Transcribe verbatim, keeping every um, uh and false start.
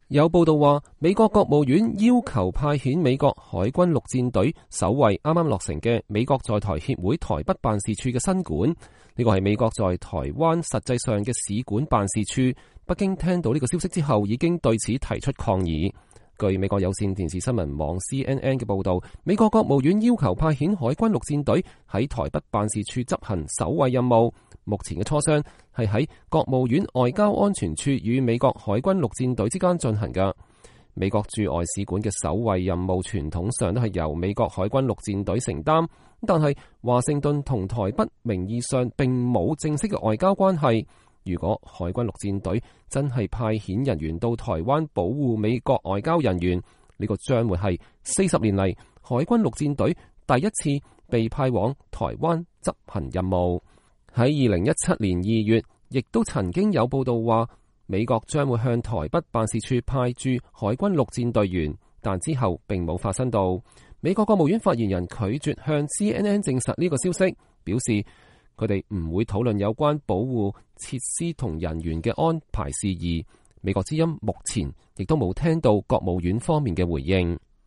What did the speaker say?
有報道話，美國國務院要求派遣美國海軍陸戰隊守衛啱啱落成嘅美國在台協會台北辦事處嘅新館。呢個係美國在台灣實際上嘅使館辦事處。北京聽到呢個消息之後，已經對此提出抗議。據美國有線電視新聞網 C N N 嘅報道，美國國務院要求派遣海軍陸戰隊喺台北辦事處執行守衛任務。目前嘅磋商係喺國務院外交安全處與美國海軍陸戰隊之間進行嘅。美國駐外使館嘅守衛任務傳統上都係由美國海軍陸戰隊承擔，但係華盛頓同台北名義上並冇正式嘅外交關係。如果海軍陸戰隊真係派遣人員到台灣保護美國外交人員，呢個將會係四十年嚟海軍陸戰隊第一次被派往台灣執行任務。喺二零一七年二月，亦都曾經有報道話，美國將會向台北辦事處派駐海軍陸戰隊員，但之後並冇發生到。美國國務院發言人拒絕向 C N N 證實呢個消息，表示佢哋唔會討論有關保護設施同人員嘅安排事宜。美國之音目前亦都冇聽到國務院方面嘅回應。